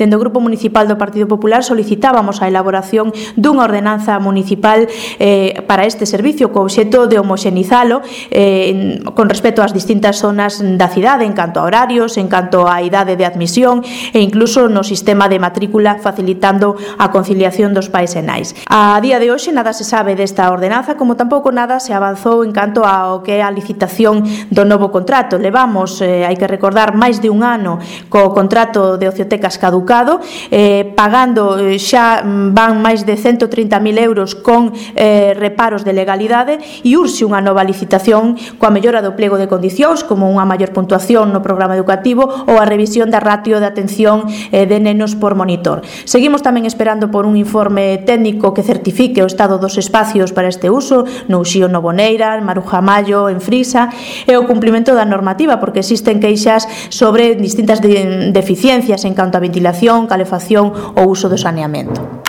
dende o Grupo Municipal do Partido Popular solicitábamos a elaboración dunha ordenanza municipal para este servicio co obxecto de homoxenizalo con respecto ás distintas zonas da cidade en canto a horarios, en canto a idade de admisión e incluso no sistema de matrícula, facilitando a conciliación dos pais e nais. A día de hoxe nada se sabe desta ordenanza, como tampouco nada se avanzou en canto ao que é a licitación do novo contrato. Levamos, hai que recordar, máis de un ano co contrato de Ociotecas caducado, pagando xa van máis de 130.000 euros con reparos de legalidade e urxe unha nova licitación coa mellora do pliego de condicións, como unha maior puntuación no programa educativo ou a revisión da ratio de atención de nenos por monitor. Seguimos tamén esperando por un informe técnico que certifique o estado dos espacios para este uso no Uxío Novoneira, en Maruja Mallo, en Frisa, e o cumprimento da normativa, porque existen queixas sobre distintas deficiencias en canto a ventilación, calefacción ou uso do saneamento.